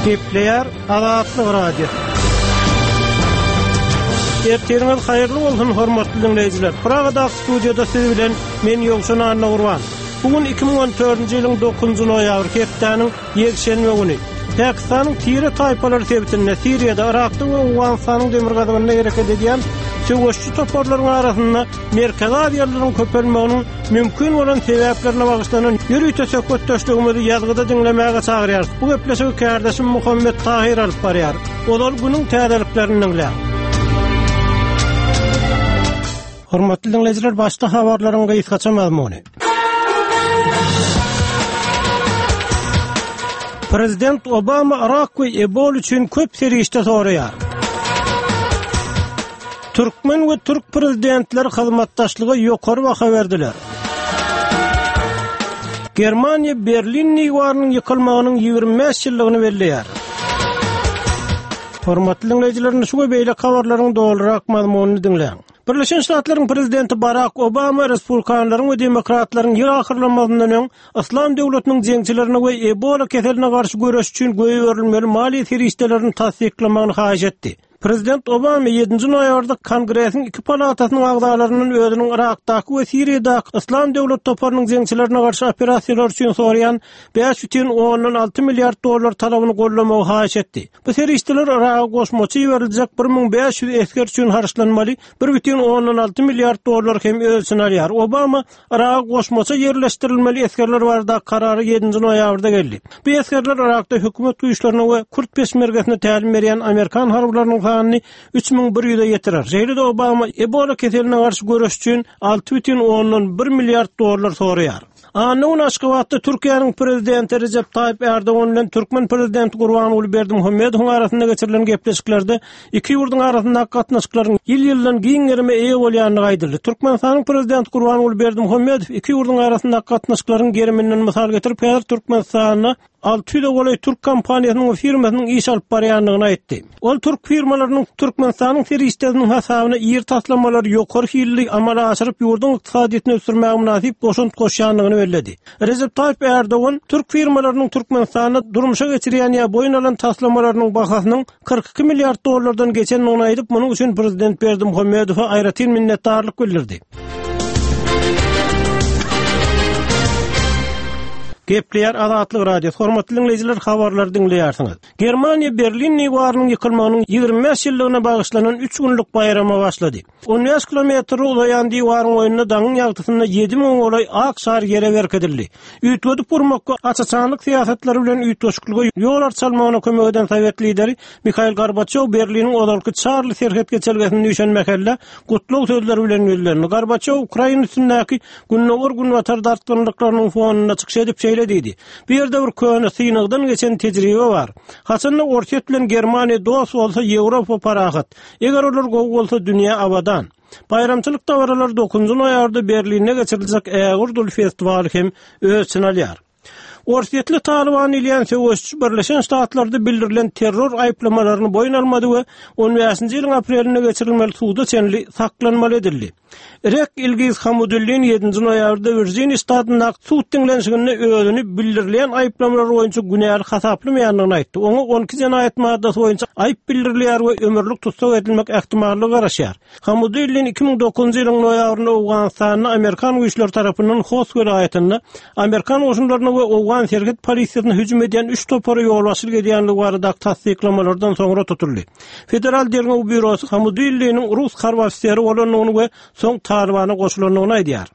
Gepleýär Azatlyk Radiosy. Ertiriňiz haýyrly bolsun, hormatly diňleýjiler. Pragadaky studiýada siz bilen men Ýowşan Annagurban. Bu gün 2014-nji ýylyň 9-njy noýabry, hepdäniň ýekşenbe güni. Pakistanyň tire taýpalary sebitinde, Siriýada, Yrakda we Owganystanyň demirgazygynda hereket edýän söweşçi toparlaryň arasynda Merkezi Aziýalylaryň köpelmeginiň mümkin bolan sebäplerine bagyşlanan ýörite söhbetdeşligimizi ýazgyda diňlemäge çagyrýarys. Bu gepleşigi kärdeşim Muhammet Tahyr alyp barýar. Ozal günüň täzeliklerini diňläň. Hormatly diňleýjiler, başda habarlaryň gysgaça mazmuny. Prezident Obama Yrak we Ebol üçin köp serişde soraýar. Türkmen we türk prezidentleri hyzmatdaşlyga ýokary baha berdiler. Germaniýa Berlin diwarynyň ýykylmagynyň 25 ýyllygyny belleýär. Hormatly diňleýjiler, indi şu we beýleki habarlaryň dolurak mazmunyny diňläň. Birleşen Ştatlaryň prezidenti Barak Obama respublikanlaryň we demokratlaryň ýyl ahyrlamazyndan öň Yslam döwletiniň jeňçilerine we Ebola keseline garşy göreş üçin goýberilmeli maliýe serişdelerini tassyklamagyny haýyş etdi. Prezident Obama ýedinji noýabrda Kongresiň iki palatasynyň agzalaryndan özüniň Yrakdaky we Siriýadaky Yslam döwlet toparynyň jeňçilerine garşy operasiýalar üçin soraýan 5,6 milliard dollar talabyny goldamagy haýyş etdi. Bu serişdeler Yraga goşmaça iberiljek 1500 esger üçin harçlanmaly 1,6 milliard dollar hem öz içine alýar. Obama Yraga goşmaça ýerleşdirilmeli esgerler baradaky karara ýedinji noýabrda geldi. Bu esgerler Yrakda hökümet güýçlerine we kürt peşmergesine tälim berýän amerikan harbylarynyň sanyny 3100-e ýetirer. Şeýle-de Obama Ebola keseline garşy göreş üçin 6,1 milliard dollar soraýar. Anna güni Aşgabatda Türkiýäniň Prezidenti Rejep Taýyp Ärdogan bilen türkmen Prezidenti Gurbanguly Berdimuhamedowyň arasynda geçirilen gepleşiklerde iki ýurduň arasyndaky gatnaşyklaryň ýyl-ýyldan giň gerime eýe bolýandygy aýdyldy. Türkmenistanyň Prezidenti Gurbanguly Berdimuhamedow iki ýurduň arasyndaky gatnaşyklaryň geriminden mysal getirip, häzir Türkmenistanda 600-e golaý türk kompaniýasynyň we firmasynyň iş alyp barýandygyny aýtdy. Ol türk firmalarynyň Türkmenistanyň serişdesiniň hasabyna iri taslamalary ýokary hilli amala aşyryp, ýurduň ykdysadyýetini ösdürmäge mynasyp goşant goşýandygyny belledi. Rejep Taýyp Ärdogan türk firmalarynyň Türkmenistanda durmuşa geçirýän ýa boýun alan taslamalarynyň bahasynyň 42 milliard dollardan geçendigini aýdyp, munuň üçin prezident Berdimuhamedowa aýratyn minnetdarlyk bildirdi. Gepleýär Azatlyk Radiosy. Hormatly diňleýjiler, habarlary diňleýärsiňiz. Germaniýa Berlin diwarynyň ýykylmagynyň 25 ýyllygyna bagyşlanan üç günlük baýrama başlady. 15 kilometre uzaýan diwaryň boýunda daňyň ýagtysynda 7000 golaý ak şar ýere berkidildi. Üýtgedip gurmak we aç-açanlyk syýasatlary bilen üýtgeşiklige ýol arçalmagyna kömek eden sowet lideri Mihail Gorbaçýow Berliniň ozalky Çarli serhet geçelgesinde üýşen mähellä gutlag sözleri bilen ýüzlendi. Gorbaçýow Ukraina üstündäki Gündogar-Günbatar dartgynlyklarynyň fonunda çykyş edip şeýle diýdi, Bu ýerde bir köne, synagdan geçen tejribe bar. Haçanda Orsýet bilen Germaniýa dost bolsa, Ýewropa parahat. Eger olar gowy bolsa, dünýä abadan. Baýramçylyk dabaralary dokuzynjy noýabrda Berlinde geçiriljek ägirt uly festiwaly hem öz içine alýar. Orsýetli Talyban diýilýän söweşçi Birleşen Ştatlarda bildirilen terror aýyplamalaryny boýun almady we on bäşinji ýylyň aprelinde geçirilmeli suda çenli saklanmaly edildi. Rek Ilgiz Hamudullin ýedinji noýabrda Wirjiniýa ştatyndaky sud diňlenişiginde özüni bildirilýän aýyplamalar boýunça günäli hasaplamaýandygyny aýtdy. Oňa 12 jenaýat maddasy boýunça aýyp bildirilýär we ömürlik tussag edilmek ähtimallygy garaşýar. Hamudullin 2009-njy ýylyň noýabrynda Owganystanda amerikan güýçleri tarapyndan Host welaýatynda amerikan goşunlaryna we owgan serhet polisiýasyna hüjüm edýän üç topara ýolbaşçylyk edýändigi baradaky tassyklamalardan soňra tutuldy. Federal derňew býurosy Hamudulliniň rus harby ofiseri bolandygyny we soň Talybana goşulandygyny aýdýar.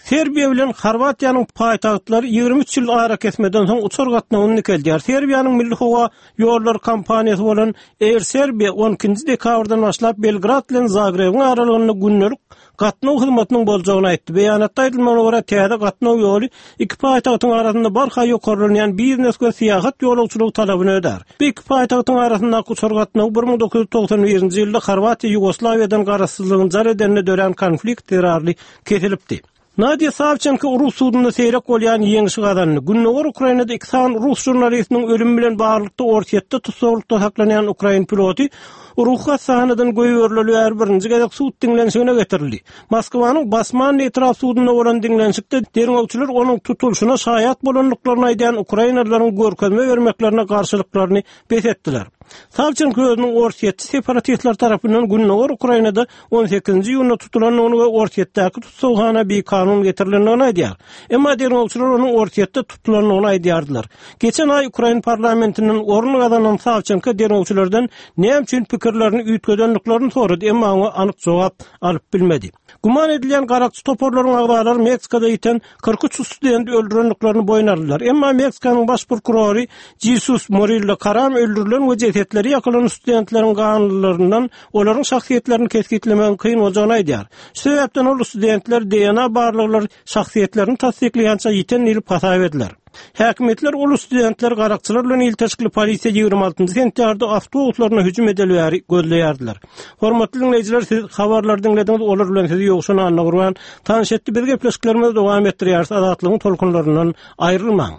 Serbiýa bilen Horwatiýanyň paýtagtlary 23 ýyl arakesmeden soň uçar gatnawyny dikeldýär. Serbiýanyň milli howa ýollary kompaniýasy bolan Air Serbia 12-nji dekabrdan başlap Belgrad bilen Zagrebiň aralygynda gündelik gatnaw hyzmatynyň boljagyny aýtdy. Beýanatda aýdylmagyna görä, täze gatnaw ýoly iki paýtagtyň arasynda barha ýokarlanýan biznes we syýahat ýolagçylygy talabyny ödär. Bu iki paýtagtyň arasyndaky uçar gatnawy 1991-nji ýylda Horwatiýa Ýugoslawiýadan garaşsyzlygyny jar edende dörän konflikt zerarly kesilipdi. Nadýa Sawçenko rus sudunda seýrek bolýan ýeňşi gazandy. Gündogar Ukrainada iki sany rus žurnalistiniň ölümi bilen baglylykda Orsýetde tussaglykda saklanýan ukrain piloty ruhy hassahanadan goýberileli bäri birinji gezek sud diňlenişigine getirildi. Moskwanyň Basmannyý etrap sudunda bolan diňlenişikde derňewçiler onuň tutulyşyna şaýat bolandyklaryny aýdýan ukrainalylaryň görkezme bermeklerine garşylyklaryny bes etdiler. Sawçenko özüniň orsýetçi separatistler tarapyndan gündogar Ukrainada on sekizinji iýunda tutulandygyny we Orsýetdäki tussaghana bikanun getirilendigini aýdýar. Emma derňewçiler onuň Orsýetde tutulandygyny aýdýardylar. Geçen aý ukrain parlamentinden orun gazanan Sawçenko derňewçilerden näme üçin pikirlerini üýtgedendiklerini sorady, emma oňa anyk jogap alyp bilmedi. Güman edilýän garakçy toparlaryň agzalary Meksikada ýiten 43 studenti öldürendiklerini boýun aldylar. Emma Meksikanyň baş prokurory Jesus Murillo Karam öldürilen we jesetleri ýakylan studentleriň ganlylaryndan olaryň şahsyýetlerini kesgitlemegiň kyn boljagyny aýdýar. Şu sebäpden ol studentler DNA barlaglary şahsyýetlerini tassyklaýança ýiten diýlip hasap ediler. Häkimiýetler ol studentleri garakçylar bilen ilteşikli polisiýa 26 sentýabrda awtobuslaryna hüjüm edeli bäri gözleýärdiler. Hormatly diňleýjiler, siz habarlary diňlediňiz, olar bilen sizi Ýowşan Annagurban tanyş etdi. Biz gepleşiklerimizi dowam etdirýäris. Azatlygyň tolkunlaryndan aýrylmaň.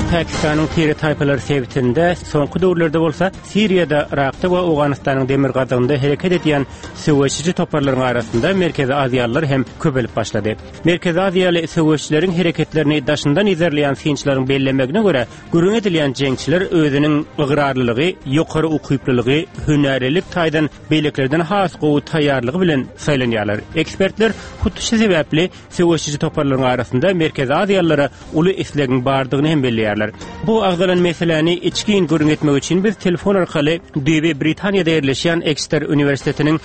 Pakistanyň tire-taýpalar sebitinde, soňky döwürlerde bolsa Siriýada, Yrakda we Owganystanyň demirgazygynda hereket edýän söweşiji toparlaryň arasynda merkezi aziýalylar hem köpelip başlady. Merkezi aziýaly söweşçileriň hereketlerini daşyndan yzarlaýan synçylaryň bellemegine görä, Gürrüň edilýän jeňçiler özüniň ygrarlylygy, ýokary ukyplylygy, hünärlilik taýdan beýlekilerden has gowy taýýarlygy bilen saýlanýarlar. Ekspertler hut şu sebäpli söweşiji toparlaryň arasynda merkezi aziýalylara uly islegiň bardygyny hem belleýärler. Bu agzalan meseläni içgin gürrüň etmek üçin biz telefon arkaly düýbi Britaniýada ýerleşýän Ekster uniwersitetiniň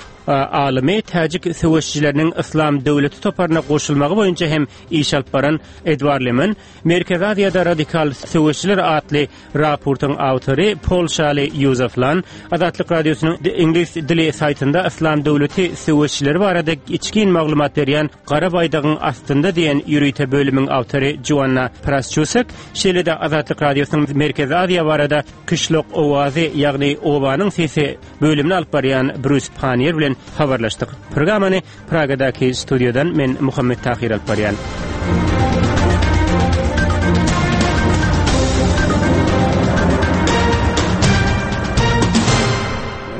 alymy, täjik söweşijileriniň Yslam döwleti toparyna goşulmagy boýunça hem iş alyp baran Edward Lemen, Merkezi Aziýada radikal söweşçiler atly raportyň awtory polşaly Ýuzef Lan Azatlyk Radiosynyň iňlis dili saýtynda Yslam döwleti söweşçileri barada içgin maglumat berýän Gara baýdagyň astynda diýen ýörite bölümiň awtory Joanna Prasçusek, şeýle-de Azatlyk Radiosynyň Merkezi Aziýa barada Kişlok owazy, ýagny obanyň sesi bölümini alyp barýan Brus Pannier bilen habarlaşdyk. Programmany Pragadaky studiýadan men Muhammet Tahyr alyp barýan.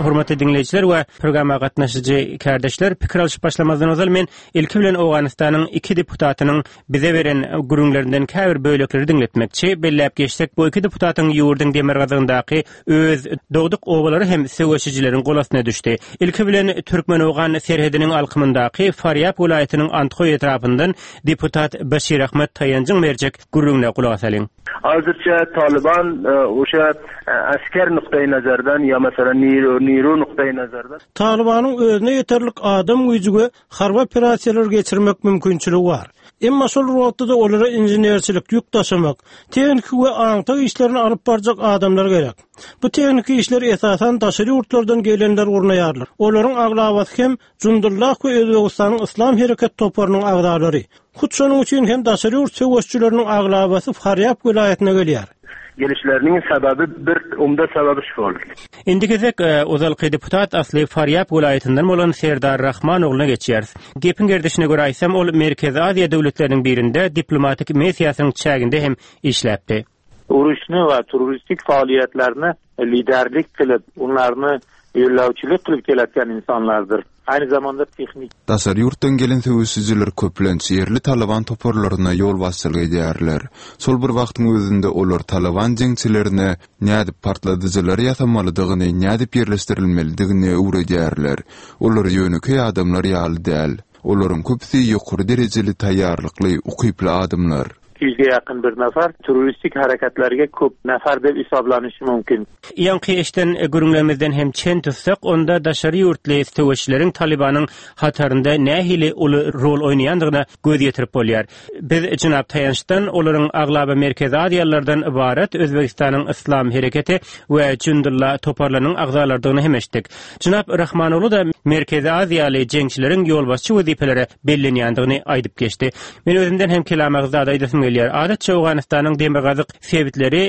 Hormatly diňleýjiler we programma gatnaşyjy kärdeşler, pikir alyşyp başlamazdan ozal men ilki bilen Owganystanyň iki deputatynyň bize beren gürrüňlerinden käbir bölekleri diňletmekçi. Belläp geçsek, bu iki deputatyň ýurduň demirgazygyndaky öz dogduk obalary hem söweşijileriň golastyna düşdi. Ilki bilen türkmen-owgan serhediniň alkymyndaky Farýab welaýatynyň Andhoý etrapyndan deputat Başir Ahmad Taýanjyň berjek gürrüňine gulak asalyň. Hazirçe Talyban oşa asker nukdaý nazardan ýa meselem niru nukdaý nazardan. Talybanyň özüne ýeterlik adam güýji we harby operasiýalar geçirmek mümkinçiligi bar. Emma şol bir wagtda-da olara inženerçilik, ýük daşamak, tehniki we aňtaw işlerini alyp barjak adamlar gerek. Bu tehniki işleri esasan daşary ýurtlardan gelenler gurnaýarlar. Olaryň aglabasy hem Jundullah we Özbegistanyň Yslam hereket toparynyň agzalary. Hut şonuň üçin hem daşary ýurt söweşçileriniň aglabasy Farýab welaýatyna gelýär. Gelişleriniň sebäbi bir umda sebäbi şol. Indi gezek ozalky deputat asly Farýab welaýatyndan bolan Serdar Rahman ogluna geçýäris. Gepiň gerdişine görä aýtsam, ol Merkezi Aziýa döwletleriniň birinde diplomatik missiýasynyň çäginde hem işläpdi. Uruşny we terroristik faaliýetlerini liderlik kylyp, onlaryny ýollawçylyk kylyp keletgen insanlardyr. Aýny zamanda tehnik. Daşary ýurtdan gelen söweşijiler köplenç ýerli Talyban toparlaryna ýolbaşçylyk edýärler. Şol bir wagtyň özünde olar Talyban jeňçilerine nädip partladyjylary ýasamalydygyny, nädip ýerleşdirilmelidigini öwredýärler. Olar ýönekeý adamlar ýaly däl. Olaryň köpüsi ýokary derejeli taýýarlykly, ukyply adamlar. 200-ge ýakyn bir nafar terroristik hereketlerge köp nafar dep hisaplanyşy mümkin. Ýaňky eşden gürrüňlerimizden hem çen tutsak, onda daşary ýurtly söweşçileriň Talybanyň hatarynda nähili uly rol oýnaýandygyna göz ýetirip bolýar. Biz jenap Taýançdan olaryň aglaba merkezi aziýalylardan ybarat Özbegistanyň Yslam hereketi we Jündulla toparlarynyň agzalarydygyny hem eşitdik. Jenap Rahmanoglu-da merkezi aziýaly jeňçileriň ýolbaşçy wezipelere bellenýändigini aýdyp geçdi. Men özümden hem kelam agyz zat aýdasym gelýär. gelýär. Adatça Owganystanyň demirgazyk sebitleri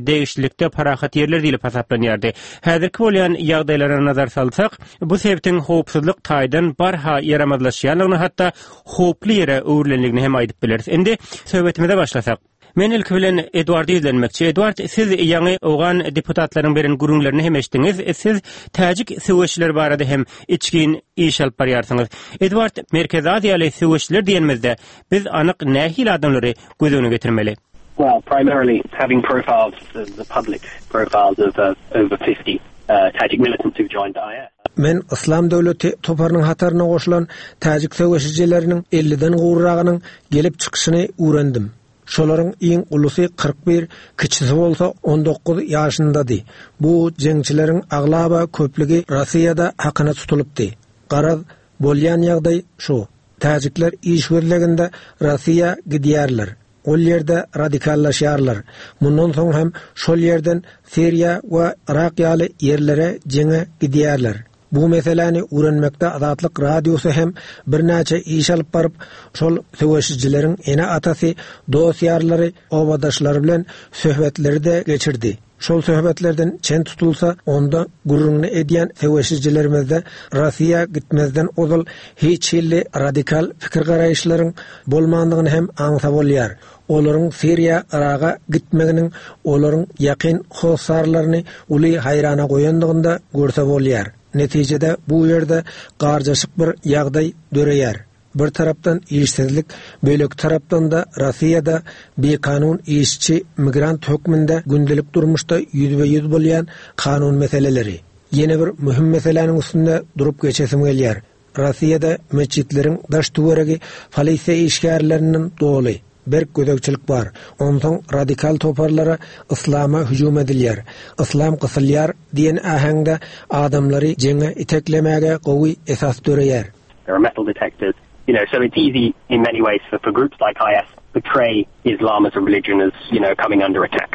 degişlilikde parahat ýerler diýlip hasaplanýardy. Häzirki bolýan ýagdaýlara nazar salsak, bu sebitiň howpsuzlyk taýdan barha ýaramazlaşýandygyny, hatda howply ýere öwrülendigini hem aýdyp bileris. Indi söhbetimize başlasak. Men ilki bilen Eduarda ýüzlenmekçi. Eduard, siz ýaňy owgan deputatlarynyň beren gürrüňlerini hem eşitdiňiz. Siz täjik söweşçileri barada hem içgin iş alyp barýarsyňyz. Eduard, Merkezi Aziýaly söweşçiler diýenimizde, biz anyk nähili adamlary göz öňüne getirmeli? Well, primarily having profiled the public profiles of over 50 Tajik militants who joined IS. Men Yslam döwleti toparynyň hataryna goşulan täjik söweşijileriniň elliden gowragynyň gelip çykyşyny öwrendim. Şolaryň iň ulusy 41, kiçisi bolsa 19 ýaşyndady. Bu jeňçileriň aglaba köplügi Rossiýada hakyna tutulypdy. Garaz, bolýan ýagdaý şu, täjikler iş gözleginde Rossiýa gidýärler. Ol ýerde radikallaşýarlar. Mundan soň hem şol ýerden Siriýa we Yrak ýaly ýerlere jeňe gidýärler. Bu meseläni öwrenmekde Azatlyk Radiosy hem birnäçe iş alyp baryp, şol söweşijileriň ene-atasy, dost-ýarlary, obadaşlary bilen söhbetleri-de geçirdi. Şol söhbetlerden çen tutulsa, onda gürrüňini edýän söweşijilerimizde Rossiýa gitmezden ozal hiç hilli radikal pikir-garaýyşlaryň bolmandygyny hem aňsa bolýar. Olaryň Siriýa, Yraga gitmeginiň olaryň ýakyn hossarlaryny uly haýrana goýandygyny-da görse bolýar. Netijede bu ýerde garjaşyk bir ýagdaý döreýär. Bir tarapdan işsizlik, beýleki tarapdan-da Rossiýada bikanun işçi migrant hökmünde gündelik durmuşda ýüzbe-ýüz bolýan kanun meseleleri. Ýene bir möhüm meseläniň üstünde durup geçesim gelýär. Rossiýada metjitleriň daş-töweregi polisiýa işgärlerinden doly. Berk gözegçilik bar. Onsoň radikal toparlara yslama hüjüm edilýär, yslam gysylýar diýen äheňde adamlary jeňe iteklemäge gowy esas döreýär. There are metal detectors, you know, so it's easy in many ways for for groups like IS portray Islam as a religion as, you know, coming under attack.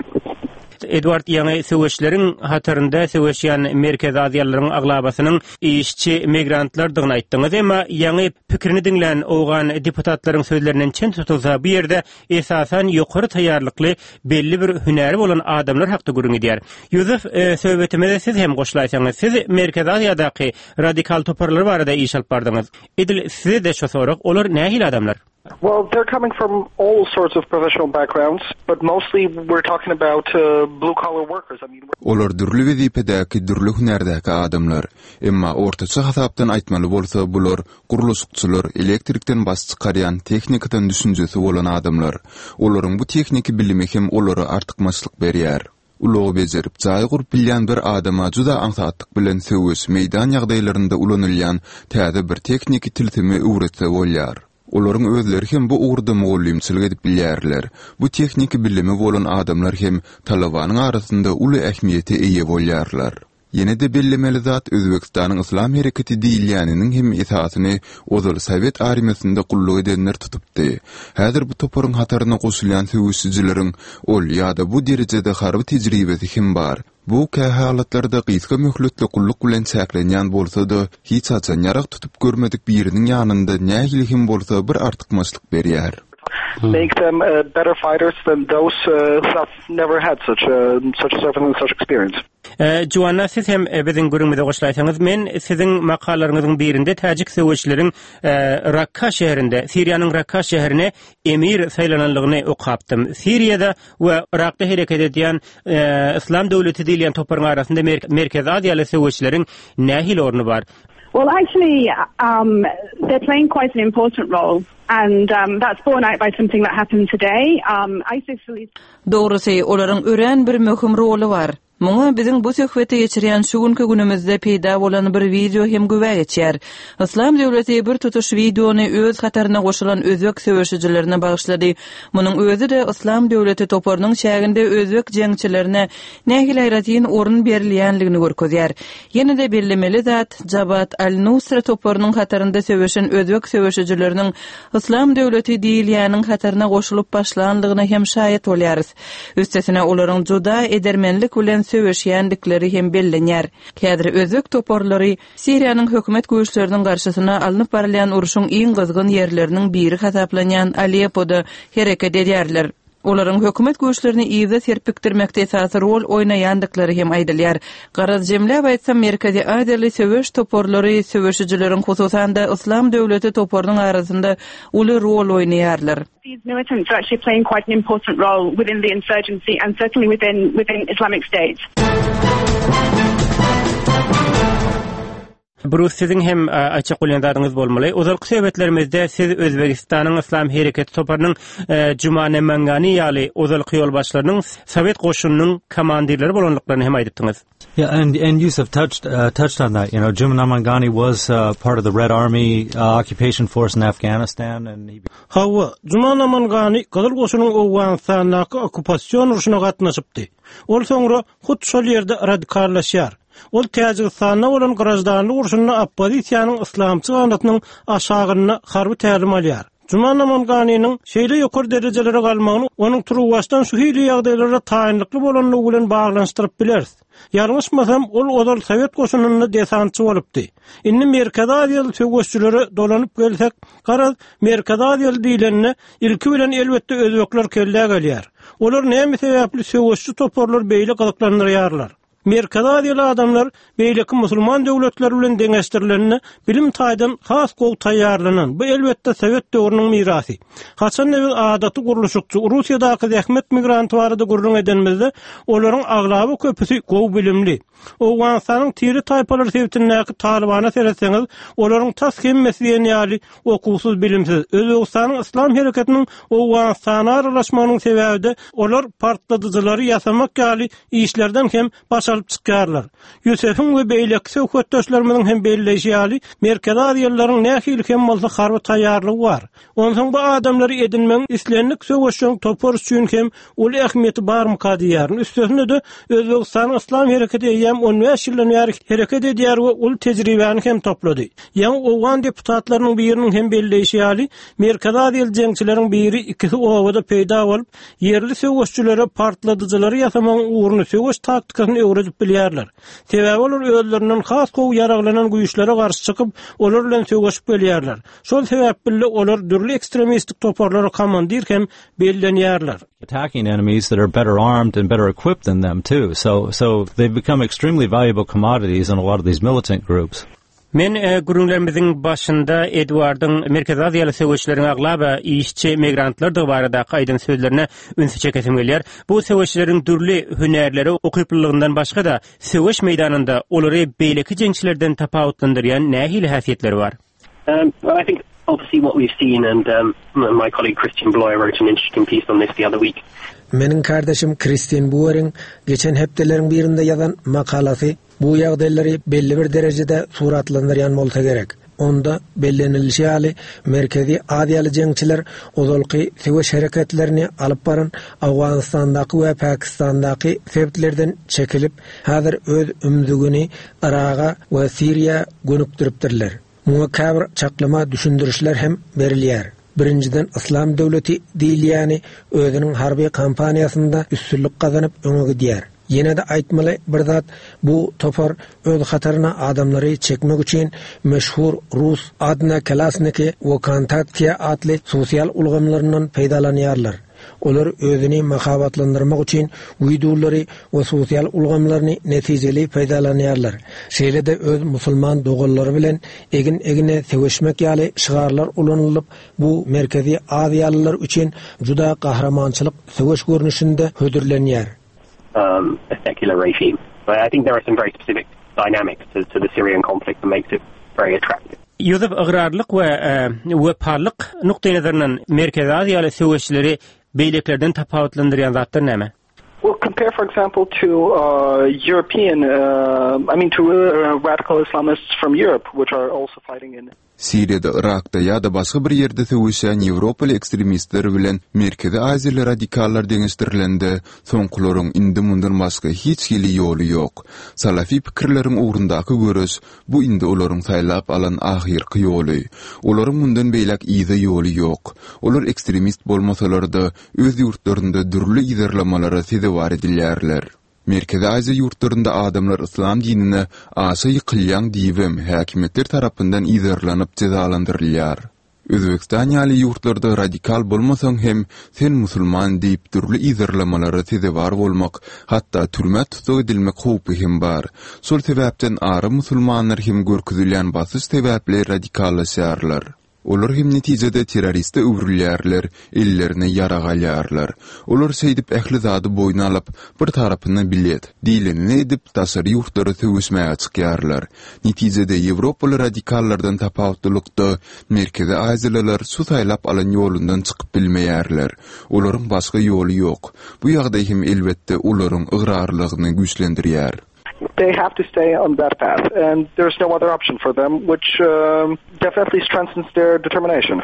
Edward ýaňy söweşleriň hatarynda söweşýän Merkezi Aziýalylaryň aglabasynyň işçi migrantlardygyny aýtdyňyz. Emma ýaňy pikirini diňlän owgan deputatlaryň sözlerinden çen tutulsa, bu ýerde esasan ýokary taýýarlykly belli bir hünäri bolan adamlar hakda gürrüň gidýär. Ýusuf, söhbetimize siz hem goşulaýsaňyz. Siz Merkezi Aziýadaky radikal toparlar barada iş alyp bardyňyz. Edil size-de şu sorag, olar nähili adamlar? Well, they're coming from all sorts of professional backgrounds, but mostly we're talking about uh, blue collar workers. I mean, Olar dürli wezipedäki, dürli hünärdäki adamlar. Emma ortaça hasapdan aýtmaly bolsa, bular gurluşykçylar, elektrikden baş çykarýan, tehnikadan düşünjesi bolan adamlar. Olaryň bu tehniki bilimi hem olara artykmaçlyk berýär. Ulagy bejerip, jaý gurup bilýän bir adama juda aňsatlyk bilen söweş, meýdan ýagdaýlarynda ulanylýan täze bir tehniki tilsimi öwretse bolýar. Olaryň özleri hem bu ugurda mugallymçylyk edip bilýärler. Bu tehniki bilimi bolan adamlar hem talabanyň arasynda uly ähmiýete eýe bolýarlar. Ýene-de bellemeli zat, Özbegistanyň Yslam hereketi diýilýäniniň hem esasyny ozal sowet armiýasynda gulluk edenler tutupdy. Häzir bu toparyň hataryna goşulýan söweşijileriň ol ýa-da bu derejede harby tejribesi hem bar. Bu kähalatlarda gysga möhletli gulluk bilen çäklenýän bolsa-da, hiç haçan ýarag tutup görmedik biriniň ýanynda nähili hem bolsa bir artykmaçlyk berýär. Make them better fighters than those who have never had such such service and such experience. Juanna siz hem biziň gürrüňimize goşulaýsaňyz. Men siziň makalalaryňyzyň birinde täjik söweşçileriň Rakka şäherinde, Siriýanyň Rakka şäherine emir saýlananlygyny okapdym. Siriýada we Yrakda hereket edýän Yslam döwleti diýilýän toparyň arasynda Merkezi Aziýaly söweşçileriň nähili orny bar? Well actually um they're playing quite an important role and um that's borne out by something that happened today. Um ISIS released Dogrusy, olaryň örän bir möhüm roly bar. Muňa biziň bu söhbeti geçirýän şu günki günümizde peýda bolan bir wideo hem güwä geçýär. Yslam döwleti bir tutuş wideony öz hataryna goşulan özbek söweşijilerine bagyşlady. Munuň özi-de Yslam döwleti toparynyň çäginde özbek jeňçilerine nähili aýratyn orun berilýänligini görkezýär. Ýene-de bellemeli zat, Jabhat al-Nusra toparynyň hatarynda söweşen özbek söweşijileriniň Yslam döwleti diýilýäniň hataryna goşulyp başlanlygyna hem şaýat bolýarys. Üstesine, olaryň juda edermenlik bilen. söweşýändikleri hem bellenýär. Häzir özbek toparlary Siriýanyň hökümet güýçleriniň garşysyna alnyp barylýan urşuň iň gyzgyn ýerleriniň biri hasaplanýan Aleppoda hereket edýärler. Olaryň hökümet güýçlerini yza serpikdirmekde esasy rol oýnaýandyklary hem aýdylýar. Garaz, jemläp aýtsam, Merkezi Aziýaly söweş toparlary söweşijileriň, hususan-da, Yslam döwleti toparynyň arasynda uly rol oýnaýarlar. These militants are actually playing quite an important role within the insurgency and certainly within within Islamic State. Brus siziň hem aýtjak bolýan zadyňyz bolmaly. Ozalky söhbetlerimizde siz Özbegistanyň Yslam hereketi toparynyň Juma Namangani ýaly ozalky ýolbaşçylarynyň Sowet goşunynyň komandirleri bolandyklaryny hem aýdypdyňyz. Yeah, and and Yusuf touched uh, touched on that. You know, Juma Namangani was uh, part of the Red Army uh, occupation force in Afghanistan, and he. Hawa, Juma Namangani Gyzyl goşunyň Owganystandaky okkupasion urşuna gatnaşypdy. Ol soňra hut şol ýerde radikallaşýar. Ol Täjigistanda bolan graždanlyk urşunda oppozisiýanyň yslamçy ganatynyň aşagynda harby tälim alýar. Juma Namanganynyň şeýle ýokary derejelere galmagyny onuň turuwbaşdan şu hili ýagdaýlara taýynlykly bolanlygy bilen baglanyşdyryp bileris. Ýalňyşmasam, ol ozal sowet goşunynda desantçy bolupdy. Indi Merkezi Aziýaly söweşçilere dolanyp gelsek, garaz, Merkezi Aziýaly diýlende, ilki bilen elbetde özbekler kellä gelýär. Olar näme sebäpli söweşçi toparlary beýle gyzyklandyrýarlar? Merkezi Aziýaly adamlar beýleki musulman döwletleri bilen deňeşdirilende bilim taýdan has gowy taýýarlanan, bu elbetde sowet döwrüniň mirasy. Haçanda biz adaty gurluşykçy, Russiýadaky zähmet migranty barada gürrüň edenimizde, olaryň aglaba köpüsi gowy bilimli. Owganystanyň tire-taýpalar sebitindäki Talybana seretseňiz, olaryň tas hemmesi diýen ýaly okuwsyz, bilimsiz. Özbegistanyň Yslam hereketiniň Owganystana aralaşmagynyň sebäbi-de olar partladyjylary ýasamak ýaly işlerden hem baş alyp çykýarlar. Ýusefiň we beýleki söhbetdeşlerimiziň hem belleýşi ýaly, Merkezi Aziýalylaryň nähili hem bolsa harby taýýarlygy bar. Onsoň bu adamlary edinmegiň islendik söweşjeň topar üçin hem uly ähmiýeti barmyka diýýärin. Üstesine-de, Özbegistanyň Yslam hereketi eýýäm on bäş ýyldan bäri hereket edýär we uly tejribäni hem toplady. Ýaňy owgan deputatlarynyň biriniň hem belleýşi ýaly, Merkezi Aziýaly jeňçileriň biri, ikisi obada peýda bolup, ýerli söweşçilere partladyjylary ýasamagyň ugruny, söweş taktikasyny öwredip bilýärler. Sebäbi olar özlerinden has gowy ýaraglanan güýçlere garşy çykyp, olar bilen söweşip gelýärler. Şol sebäpli olar dürli ekstremistik toparlara komandir hem bellenýärler. Attacking enemies that are better armed and better equipped than them too. So so they've become extremely valuable commodities in a lot of these militant groups. Men gürrüňlerimiziň başynda Edwardyň Merkezi Aziýaly söweşçileriň aglaba işçi migrantlardygy baradaky aýdan sözlerine ünsi çekesim gelýär. Bu söweşçileriň dürli hünärlere ukyplylygyndan başga-da, söweş meýdanynda olary beýleki jeňçilerden tapawutlandyrýan nähili häsiýetleri bar? Um, well, I think obviously what we've seen and um, my colleague Christian Bloyer wrote an interesting piece on this the other week. Meniň kärdeşim Kristin Bueriň geçen hepdeleriň birinde ýazan makalasy bu ýagdaýlary belli bir derejede suratlandyrýan bolsa gerek. Onda bellenilişi ýaly, Merkezi Aziýaly jeňçiler ozalky söweş hereketlerini alyp baran Owganystandaky we Pakistandaky sebitlerden çekilip, häzir öz ümzügini Yraga we Siriýa gönükdiripdirler. Muňa käbir çaklama düşündirişler hem berilýär. Birinjiden Yslam döwleti diýilýäni özüniň harby kampaniýasynda üstünlik gazanyp öňe gidýär. Ýene-de aýtmaly bir zat bu topar öz hataryna adamlary çekmek üçin meşhur rus Odnoklassniki we Vkontakte atly sosial ulgamlaryndan peýdalanýarlar. Olar özüni mahabatlandyrmak üçin wideolary we sosial ulgamlaryny netijeli peýdalanýarlar. Şeýle-de öz musulman doganlary bilen egin-egine söweşmek ýaly şygarlar ulanylyp, bu Merkezi Aziýalylar üçin juda gahrymançylyk söweş görnüşinde hödürlenýär. Um, a secular regime. But I think there are some very specific dynamics to, to the Syrian conflict that makes it very attractive. Ýusuf ygrarlyk we wepalylyk nukdaýnazaryndan Merkezi Aziýaly söweşçileri beýlekilerden tapawutlandyrýan zatlar näme? Well, compare, for example, to uh, European, uh, I mean, to uh, radical Islamists from Europe, which are also fighting in. Siriýada, Yrakda ýa-da başga bir ýerde söweşýän ýewropaly ekstremistler bilen Merkezi Aziýaly radikallar deňeşdirilende, soňkularyň indi mundan başga hiç hili ýoly ýok. Salafi pikirleriň ugrundaky göreş, bu indi olaryň saýlap alan ahyrky ýoly. Olaryň mundan beýläk yza ýoly ýok. Olar ekstremist bolmasalar-da, öz ýurtlarynda dürli yzarlamalara sezewar edilýärler. Merkezi Aziýa ýurtlarynda adamlar yslam dinine aşa ýykylýaň diýibem häkimiýetler tarapyndan yzarlanyp jezalandyrylýar. Özbegistan ýaly ýurtlarda radikal bolmasaň hem sen musulman diýip dürli yzarlamalara sezewar bolmak, hatda türmä tussag edilmek howpy hem bar. Şol sebäpden ara musulmanlar hem görkezilýän basyş sebäpli radikallaşýarlar. Olar hem netijede terroriste öwrülýärler, ellerine ýarag alýarlar. Olar şeýdip ähli zady boýun alyp, bir tarapyna bilet, diýlenini edip, daşary ýurtlara söweşmäge çykýarlar. Netijede ýewropaly radikallardan tapawutlylykda, merkezi aziýalylar şu saýlap alan ýolundan çykyp bilmeýärler. Olaryň başga ýoly ýok. Bu ýagdaý hem elbetde olaryň ygrarlylygyny güýçlendirýär. They have to stay on that path and there's no other option for them which definitely strengthens their determination.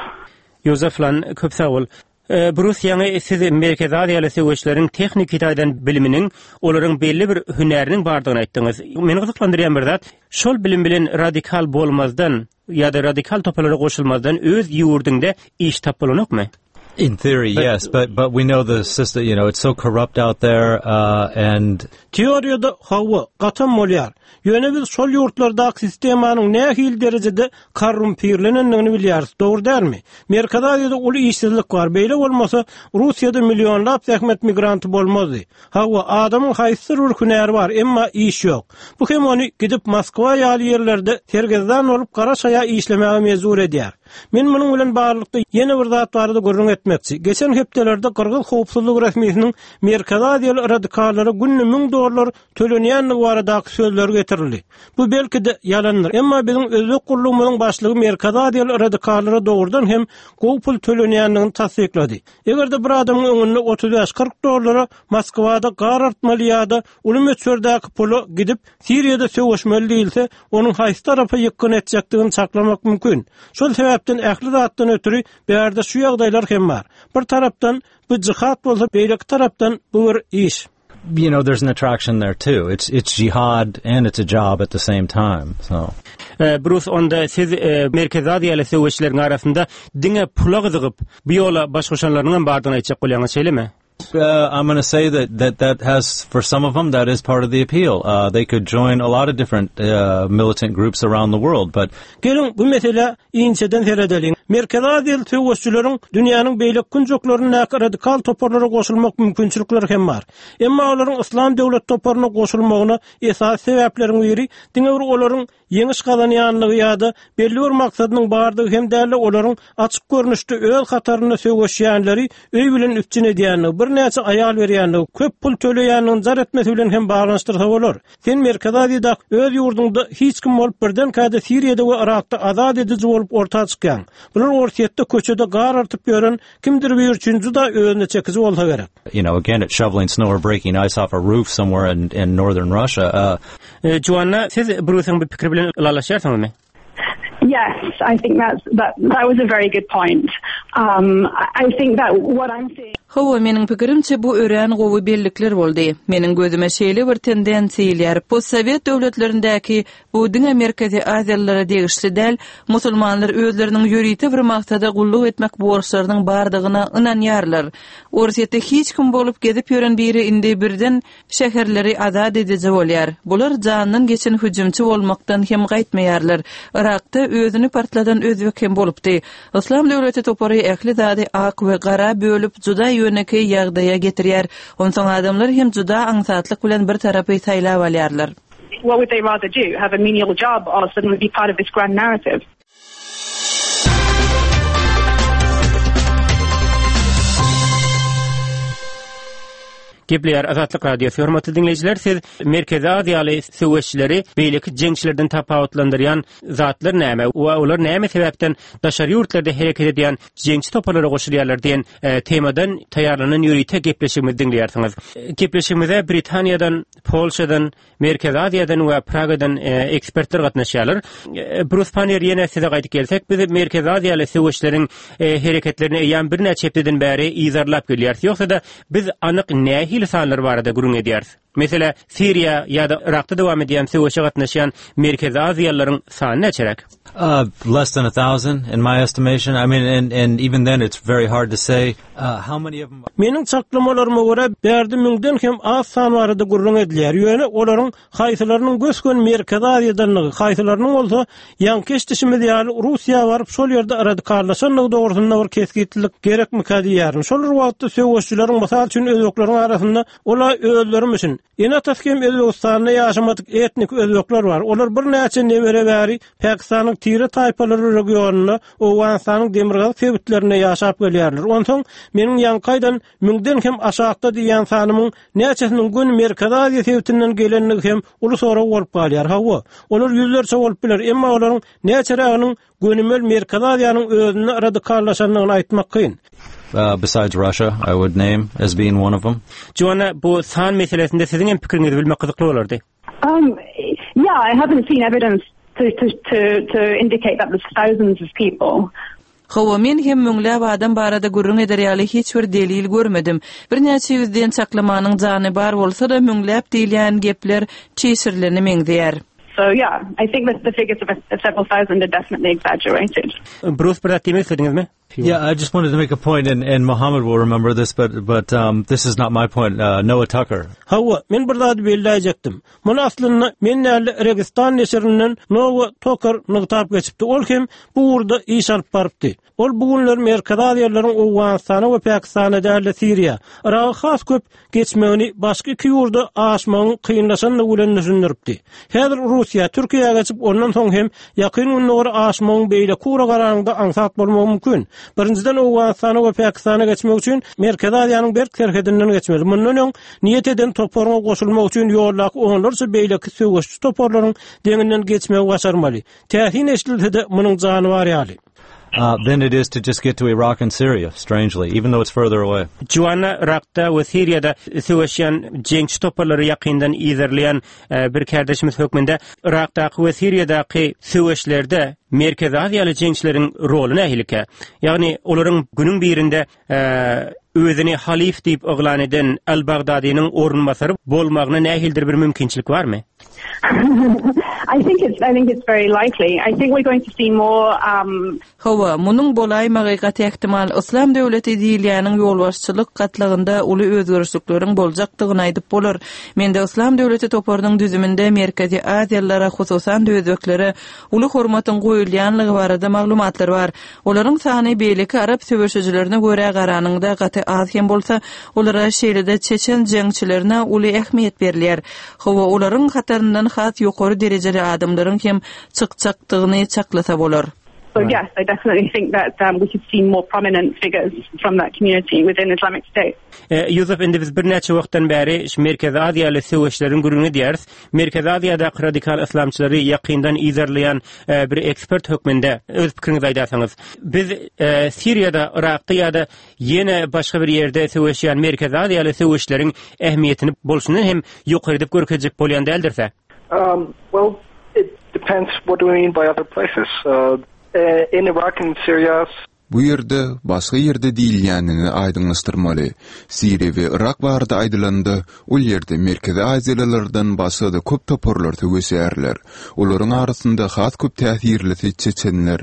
Ýozef Lan, köp sag bol. Brus, ýaňy siz Merkezi Aziýaly söweşleriň tehniki taýdan biliminiň, olaryň belli bir hünäriniň bardygyny aýtdyňyz. Meni gyzyklandyrýan bir zat, şol bilim bilen radikal bolmazdan ýa-da radikal toparlara goşulmazdan öz ýurduňda iş tapyp bolanokmy? In theory, yes, but but we know the system, you know, it's so corrupt out there uh, and Teoriýada hawa, gatam bolýar. Ýöne biz şol ýurtlardaky sistemanyň nähili derejede korrumpirlenendigini bilýäris, dogry dälmi? Merkezi Aziýada uly işsizlik bar, beýle bolmasa, Russiýada millionlap zähmet migranty bolmazdy. Hawa, adamyň haýsydyr bir hünäri bar, emma iş ýok. Bu hem ony gidip Moskwa ýaly ýerlerde sergezdan bolup gara şaýa işlemäge mejbur edýär. Men munuň bilen baglylykda ýene bir zat barada gürrüň etmekçi. Geçen hepdelerde gyrgyz howpsuzlyk resmisiniň Merkezi Aziýaly radikallara günde müň dollar tölenýändigi baradaky sözleri getirildi. Bu belki-de ýalandyr, emma biziň özbek gullugymyzyň başlygy Merkezi Aziýaly radikallara dogrudan hem gowy pul tölenýändigini tassyklady. Eger-de bir adamyň öňünde 35-40 dollara Moskwada gar artmaly ýa-da uly möçberdäki pula gidip Siriýada söweşmeli diýilse, onuň haýsy tarapa ýykgyn etjekdigini çaklamak mümkin. Şol sebäpden ähli zatdan ötri bärde şu ýagdaýlar hem bar. Bir tarapdan bu jihad bolsa, beýleki tarapdan bu bir iş. You know, there's an attraction there too. It's it's jihad and it's a job at the same time. So Brus onda siz Merkezi Aziýaly söweşçileriň arasynda diňe pula gyzygyp, bu ýola baş goşanlarynyň hem bardygyny aýtjak bolýaňyz, şeýlemi? Uh, I'm going to say that, that that has, for some of them, that is part of the appeal. Uh, they could join a lot of different uh, militant groups around the world, but... Geliň, bu meselä inçeden seredeliň. Merkezi Aziýaly söweşçileriň dünýäniň beýleki künjeklerindäki radikal toparlara goşulmak mümkinçilikleri hem bar. Emma olaryň Yslam döwlet toparyna goşulmagyna esasy sebäpleriň biri diňe bir olaryň ýeňiş gazanýanlygy ýa-da belli bir maksadynyň bardygy hem däl-de, olaryň açyk görnüşde öz hatarynda söweşýänleri öý bilen üpjün edýänligi, birnäçe aýal berýänligi, köp pul töleýänligini jar etmesi bilen hem baglanyşdyrsa bolar. Sen Merkezi Aziýada öz ýurduňda hiç kim bolup birdenkä-de Siriýada we Yrakda azat ediji bolup orta çykýaň. Bular Orsýetde köçede gar artyp ýören kimdir biri üçin juda özüne çekiji bolsa gerek. You know, again, it's shoveling snow or breaking ice off a roof somewhere in, in northern Russia. Uh, Joanna, siz Brusyň bu pikiri bilen ylalaşýarsyňyzmy? Yes, I think that's that that was a very good point. Um, I think that what I'm seeing Hawa, meniň pikirimçe, bu örän gowy bellikler boldy. Meniň gözüme şeýle bir tendensiýa ilýär, postsowet döwletlerindäki, bu diňe Merkezi Aziýalylara degişli däl, musulmanlar özleriniň ýörite bir maksada gulluk etmek borçlarynyň bardygyna ynanýarlar. Orsýetde hiç kim bolup gezip ýören biri indi birden Şäherleri azat ediji bolýar. Bular jandan geçen hüjümçi bolmakdan hem gaýtmaýarlar. Yrakda özüni partladan özbek hem bolupdy. Yslam döwleti topary ähli zady ak we gara bölüp juda ýönekeý ýagdaýa getirýär. Onsoň adamlar hem juda aňsatlyk bilen bir tarapy saýlap alýarlar. What would they rather do, have a menial job or suddenly be part of this grand narrative? Gepleýär Azatlyk Radiosy. Hormatly diňleýjiler, siz Merkezi Aziýaly söweşçileri beýleki jeňçilerden tapawutlandyrýan zatlar näme we olar näme sebäpden daşary ýurtlarda hereket edýän jeňçi toparlara goşulýarlar diýen e, temadan taýýarlanan ýörite gepleşigimizi diňleýärsiňiz. Gepleşigimize Britaniýadan, Polşadan, Merkezi Aziýadan we Pragadan ekspertler gatnaşýarlar. Brus Pannier ýene size gaýdyp gelsek, biz Merkezi Aziýaly söweşleriň hereketlerini eýýäm birnäçe hepdeden bäri yzarlap gelýäris. Ýogsa-da, biz anyk nähili sanlar barada gürrüň edýäris? Meselä, Siriýa ýa-da Yrakda dowam edýän söweşe gatnaşýan Merkezi Aziýalylaryň sany näçeräk? Uh, less than a thousand in my estimation. I mean, and, and even then it's very hard to say uh, how many of them... Meniň çaklamalaryma görä, bärde müňden hem az san barada gürrüň edilýär. Ýöne olaryň haýsylarynyň gös-göni Merkezi Aziýadandygy, haýsylarynyň bolsa, ýaňky eşidişimiz ýaly, Russiýa baryp, şol ýerde radikallaşandygy dogrusynda bir kesgitlilik gerekmikä diýýärin. Şol bir wagtda söweşçileriň, mysal üçin, özbekleriň arasynda ol-a özlerimişin, ene-atasy hem Özbegistanda ýaşamadyk etnik özbekler bar. Olar birnäçe nebere bäri Pakistanyň tire-taýpalary regionynda, Owganystanyň demirgazyk sebitlerinde ýaşap gelýärler. Onsoň, meniň ýaňky aýdan Müňden hem aşakda diýýän sanymyň näçesiniň göni Merkezi Aziýa sebitinden gelendigi hem uly sorag bolup galýar. Hawa, olar ýüzlerçe bolup biler, emma olaryň näçeräginiň gönümel Merkezi Aziýanyň özünde radikallaşandygyny aýtmak kyn. Besides Russia, I would name as being one of them. Joanna, bu san meselesinde siziň hem pikiriňizi bilmek gyzykly bolardy. Um, yeah, I haven't seen evidence to, to, to, to indicate that there's thousands of people. Hawa, men hem müňläp adam barada gürrüň eder ýaly hiç bir delil görmedim. Birnäçe ýüz diýen çaklamanyň jany bar bolsa-da, müňläp diýilýän gepler çişirilene meňzeýär. So yeah, I think that the figures of several thousand are definitely exaggerated. Brus bir zat diýmek islediňizmi? Yeah, I just wanted to make a point, and, and Mohammed will remember this, but but um, this is not my point. Uh, Noah Tucker. Hawa, men bir zady belläýjekdim. Muny aslynda men däl-de Registan neşirinden Noah Tucker nygtap geçipdi. Ol hem bu ugurda iş alyp barypdy. Ol bu günler Merkezi Aziýalylaryň Owganystana we Pakistana däl-de Siriýa, Yraga has köp geçmegini başga iki ýurda aşmagyň kynlaşandygy bilen düşündiripdi. Häzir Russiýa, Türkiýä geçip, ondan soň hem Ýakyn Gündogara aşmagyň beýleki ugra garanyňda aňsat bolmagy mümkin. Birinjiden Owganystana we Pakistana geçmek üçin Merkezi Aziýanyň berk serhedinden geçmeli. Mundan öň niýet eden toparyňa goşulmak üçin ýoldaky onlarça beýleki söweşçi toparlaryň deňinden geçmegi başarmaly. Täsin eşidilse-de, munuň jany bar ýaly. Uh, than it is to just get to Iraq and Syria, strangely, even though it's further away. Joanna Yrakda we Siriýada söweşýän jeňçi toparlary ýakyndan yzarlaýan e, bir kärdeşimiz hökmünde Yrakdaky we Siriýadaky söweşlerde Merkezi Aziýaly jeňçileriň roly nähilikä? Ýagny olaryň günüň birinde e, özüni halyf diýip yglan eden Al-Bagdadynyň orunbasary bolmagyna nähilidir bir mümkinçilik barmy? I think it's I think it's very likely. I think we're going to see more um Hawa, munuň bolaýmagy gaty ähtimal. Yslam döwleti diýilýäniň ýolbaşçylyk gatlagynda uly özgerişlikleriň boljakdygyny aýdyp bolar. Mende Yslam döwleti toparynyň düzüminde Merkezi Aziýalylara, hususan-da özbeklere uly hormatyň goýulýanlygy barada maglumatlar bar. Olaryň sany beýleki arap söweşijilerine görä garanyňda gaty az hem bolsa, olara şeýle-de çeçen jeňçilerine uly ähmiýet berilýär. Hawa, olaryň hataryndan has ýokary derejeli adamlaryň hem çykjakdygyny çaklasa bolar. So yes, I definitely think that um, we could see more prominent figures from that community within Islamic State. Ýusuf, indi biz birnäçe wagtdan bäri şu Merkezi Aziýaly söweşleriň gürrüňini edýäris. Merkezi Aziýadaky radikal yslamçylary ýakyndan yzarlaýan e, bir ekspert hökmünde öz pikiriňizi aýdarsyňyz. Biz e, Siriýada, Yrakda ýa-da ýene başga bir ýerde söweşýän Merkezi Aziýaly söweşleriň ähmiýetini bolşundan hem ýokary edip görkezjek bolýan däldiris-ä? Um, well, it depends what do we mean by other places. Uh, in Iraq and Syria, Bu ýerde, başga ýerde diýilýänini aýdyňlaşdyrmaly. Siriýa we Yrak barada aýdylanda, ol ýerde Merkezi Aziýalylardan başga-da köp toparlar söweşýärler. Olaryň arasynda has köp täsirlisi çeçenler.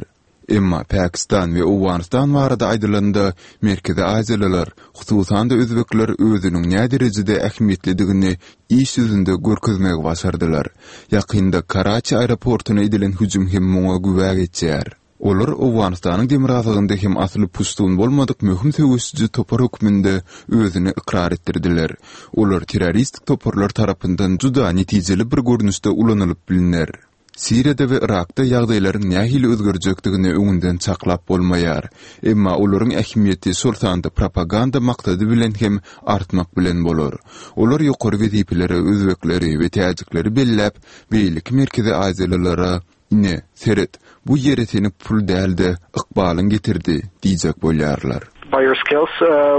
Emma Pakistan we Owganystan barada aýdylanda, Merkezi Aziýalylar, hususan-da özbekler özüniň näderejede ähmiýetlidigini iş ýüzünde görkezmegi başardylar. Ýakynda Karaçi aeroportuna edilen hüjüm hem muňa güwä geçýär. Olar Owganystanyň demirgazygynda hem asyly puştun bolmadyk möhüm söweşiji topar hökmünde özüni ykrar etdirdiler. Olar terroristik toparlar tarapyndan juda netijeli bir görnüşde ulanylyp bilner. Siriýada we Yrakda ýagdaýlaryň nähili özgerjekdigini öňünden çaklap bolmaýar. Emma olaryň ähmiýeti şol sanda propaganda maksady bilen hem artmak bilen bolar. Olar ýokary wezipelere özbekleri we täjikleri belläp, beýleki merkezi aziýalylara Ine, seret, bu ýere seni pul däl-de, ykbalyň getirdi diýjek bolýarlar. By your skills,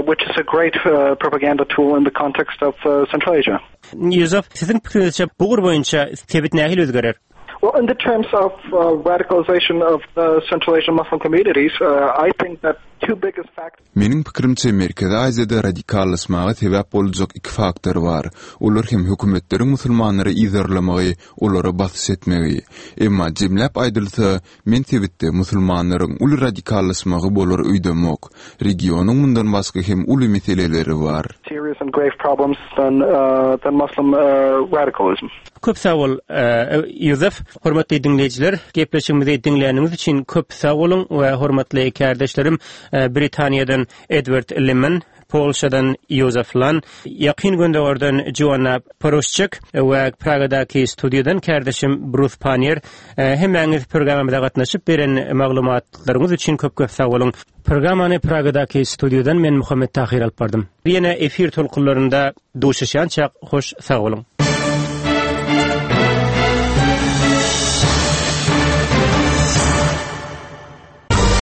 which is a great propaganda tool in the context of Central Asia. Ýusuf, siziň pikiriňizçe bu ugur boýunça sebit nähili özgerer? Well, in the terms of radicalization of the Central Asian Muslim communities, I think that. two biggest factors. Meniň pikirimçe, Merkezi Aziýada radikallaşmaga sebäp boljak iki faktor bar. Olar hem hökümetleriň musulmanlary yzarlamagy, olara basyş etmegi. Emma jemläp aýdylsa, men sebitde musulmanlaryň uly radikallaşmagy bolar öýdemok. Regionyň mundan başga hem uly meseleleri bar. Serious and grave problems than than Muslim radicalism. Köp sag bol, Ýozef. Hormatly diňleýjiler, gepleşigimizi diňläniňiz üçin köp sag boluň we hormatly kärdeşlerim Britaniýadan Edward Limman, Polşadan Ýozef Lan, Ýakyn Gündogardan Joanna Poruşçik we Pragadaky studiýadan kärdeşim Brus Pannier hemmäňiz programmamyza gatnaşyp beren maglumatlaryňyz üçin köp-köp sag boluň. Programmany Pragadaky studiýadan men Muhammet Tahyr alyp bardym. Ýene efir tolkunlarynda duşuşýançak hoş sag boluň.